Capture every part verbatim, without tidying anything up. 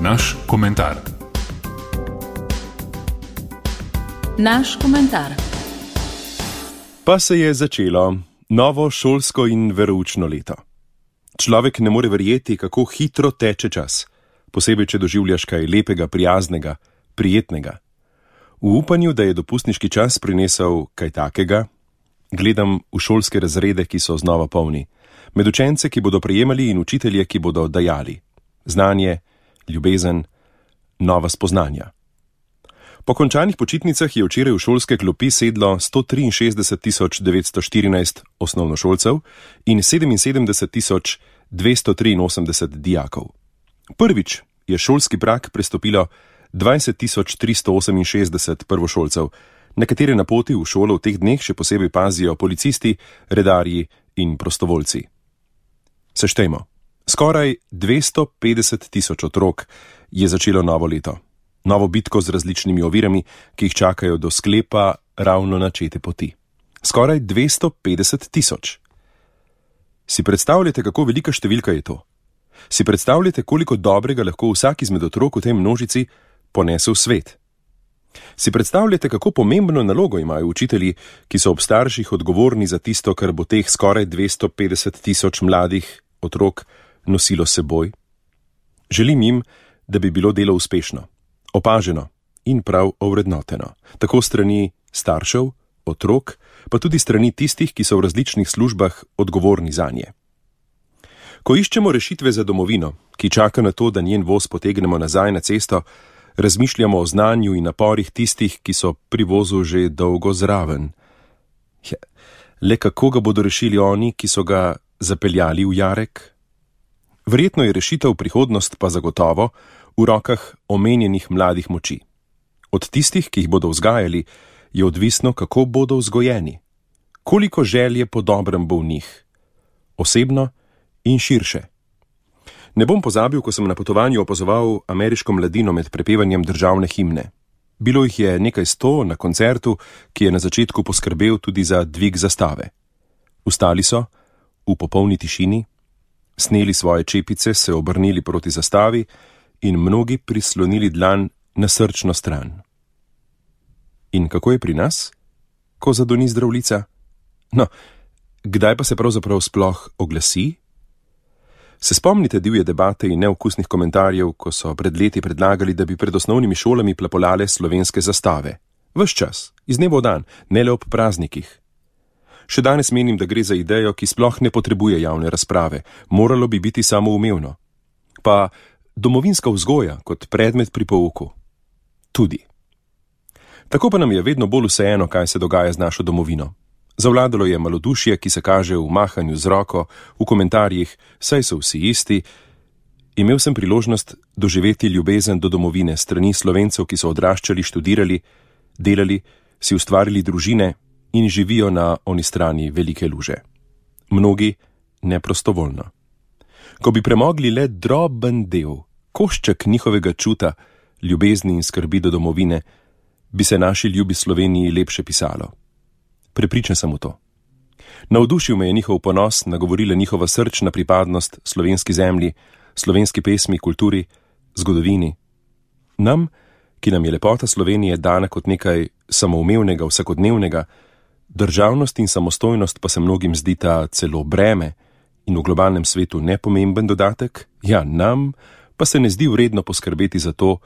Naš komentar. Naš komentar. Pa se je začelo novo šolsko in veroučno leto. Človek ne more verjeti, kako hitro teče čas, posebej, če doživljaš kaj lepega, prijaznega, prijetnega. V upanju, da je dopustniški čas prinesel kaj takega, gledam v šolske razrede, ki so znova polni, med učence, ki bodo prejemali, in učitelje, ki bodo dajali znanje, ljubezen, nova spoznanja. Po končanih počitnicah je včeraj v šolske klopi sedlo sto triinšestdeset tisoč devetsto štirinajst osnovnošolcev in sedeminsedemdeset tisoč dvesto triinosemdeset dijakov. Prvič je šolski prag prestopilo dvajset tisoč tristo oseminšestdeset prvošolcev, na katere na poti v šolo v teh dneh še posebej pazijo policisti, redarji in prostovoljci. Seštejmo, skoraj dvesto petdeset tisoč otrok je začelo novo leto, novo bitko z različnimi ovirami, ki jih čakajo do sklepa ravno načete poti. Skoraj dvesto petdeset tisoč. Si predstavljate, kako velika številka je to? Si predstavljate, koliko dobrega lahko vsak izmed otrok v tej množici ponese v svet? Si predstavljate, kako pomembno nalogo imajo učitelji, ki so ob starših odgovorni za tisto, kar bo teh skoraj dvesto petdeset tisoč mladih otrok nosilo seboj? Želim jim, da bi bilo delo uspešno, opaženo in prav ovrednoteno, tako strani staršev, otrok, pa tudi strani tistih, ki so v različnih službah odgovorni zanje. Ko iščemo rešitve za domovino, ki čaka na to, da njen voz potegnemo nazaj na cesto, razmišljamo o znanju in naporih tistih, ki so pri vozu že dolgo zraven. Ja, le kako ga bodo rešili oni, ki so ga zapeljali v jarek? Verjetno je rešitev prihodnost pa zagotovo v rokah omenjenih mladih moči. Od tistih, ki jih bodo vzgajali, je odvisno, kako bodo vzgojeni. Koliko želje po dobrem bo v njih, osebno in širše. Ne bom pozabil, ko sem na potovanju opazoval ameriško mladino med prepevanjem državne himne. Bilo jih je nekaj sto na koncertu, ki je na začetku poskrbel tudi za dvig zastave. Vstali so, v popolni tišini, sneli svoje čepice, se obrnili proti zastavi in mnogi prislonili dlan na srčno stran. In kako je pri nas, ko zadoni zdravljica? No, kdaj pa se pravzaprav sploh oglasi? Se spomnite divje debate in neokusnih komentarjev, ko so pred leti predlagali, da bi pred osnovnimi šolami plapolale slovenske zastave? Ves čas, iz dneva v dan, ne le ob praznikih. Še danes menim, da gre za idejo, ki sploh ne potrebuje javne razprave, moralo bi biti samoumevno. Pa domovinska vzgoja kot predmet pri pouku. Tudi. Tako pa nam je vedno bolj vseeno, kaj se dogaja z našo domovino. Zavladalo je malodušje, ki se kaže v mahanju z roko, v komentarjih, saj so vsi isti. Imel sem priložnost doživeti ljubezen do domovine strani Slovencev, ki so odraščali, študirali, delali, si ustvarili družine in živijo na oni strani velike luže. Mnogi neprostovoljno. Ko bi premogli le droben del, košček njihovega čuta, ljubezni in skrbi do domovine, bi se naši ljubi Sloveniji lepše pisalo. Prepričan sem v to. Navdušil me je njihov ponos, nagovorila njihova srčna pripadnost slovenski zemlji, slovenski pesmi, kulturi, zgodovini. Nam, ki nam je lepota Slovenije dana kot nekaj samoumevnega, vsakodnevnega, državnost in samostojnost pa se mnogim zdita celo breme in v globalnem svetu nepomemben dodatek, ja, nam pa se ne zdi vredno poskrbeti za to,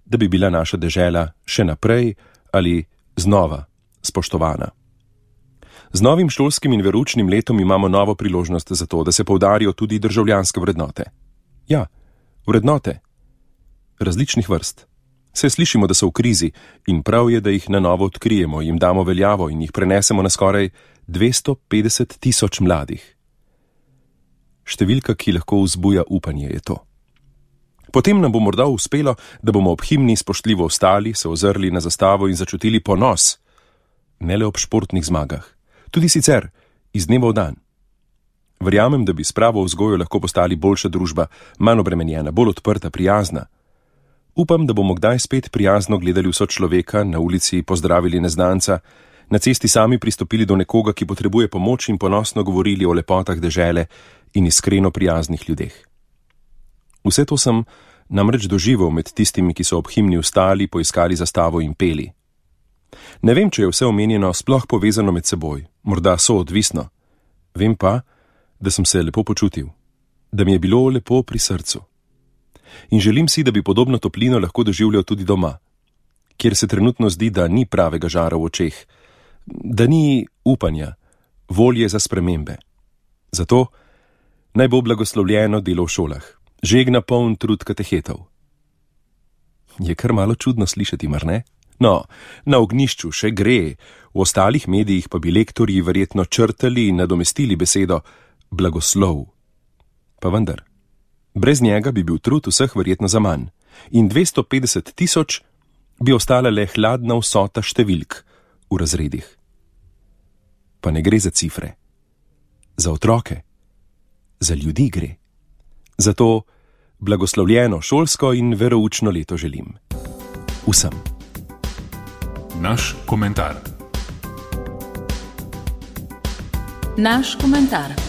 da bi bila naša dežela še naprej ali znova spoštovana. Z novim šolskim in veroučnim letom imamo novo priložnost za to, da se poudarijo tudi državljanske vrednote. Ja, vrednote. Različnih vrst. Se slišimo, da so v krizi in prav je, da jih na novo odkrijemo, jim damo veljavo in jih prenesemo na skoraj dvesto petdeset tisoč mladih. Številka, ki lahko vzbuja upanje, je to. Potem nam bo morda uspelo, da bomo ob himni spoštljivo vstali, se ozrli na zastavo in začutili ponos. Ne le ob športnih zmagah. Tudi sicer, iz dneva v dan. Verjamem, da bi s pravo vzgojo lahko postali boljša družba, manj obremenjena, bolj odprta, prijazna. Upam, da bomo kdaj spet prijazno gledali vso človeka, na ulici pozdravili neznanca, na cesti sami pristopili do nekoga, ki potrebuje pomoč in ponosno govorili o lepotah dežele in iskreno prijaznih ljudeh. Vse to sem namreč doživel med tistimi, ki so ob himni vstali, poiskali zastavo in peli. Ne vem, če je vse omenjeno sploh povezano med seboj, morda soodvisno. Vem pa, da sem se lepo počutil, da mi je bilo lepo pri srcu. In želim si, da bi podobno toplino lahko doživljal tudi doma, kjer se trenutno zdi, da ni pravega žara v očeh, da ni upanja, volje za spremembe. Zato naj bo blagoslovljeno delo v šolah, žegna poln trud katehetov. Je kar malo čudno slišati, mar ne? No, na ognjišču še gre, v ostalih medijih pa bi lektorji verjetno črtali in nadomestili besedo blagoslov. Pa vendar, brez njega bi bil trud vseh verjetno zaman in dvesto petdeset tisoč bi ostala le hladna vsota številk v razredih. Pa ne gre za cifre, za otroke, za ljudi gre. Zato blagoslovljeno šolsko in veroučno leto želim. Vsem. Naš komentar. Naš komentar.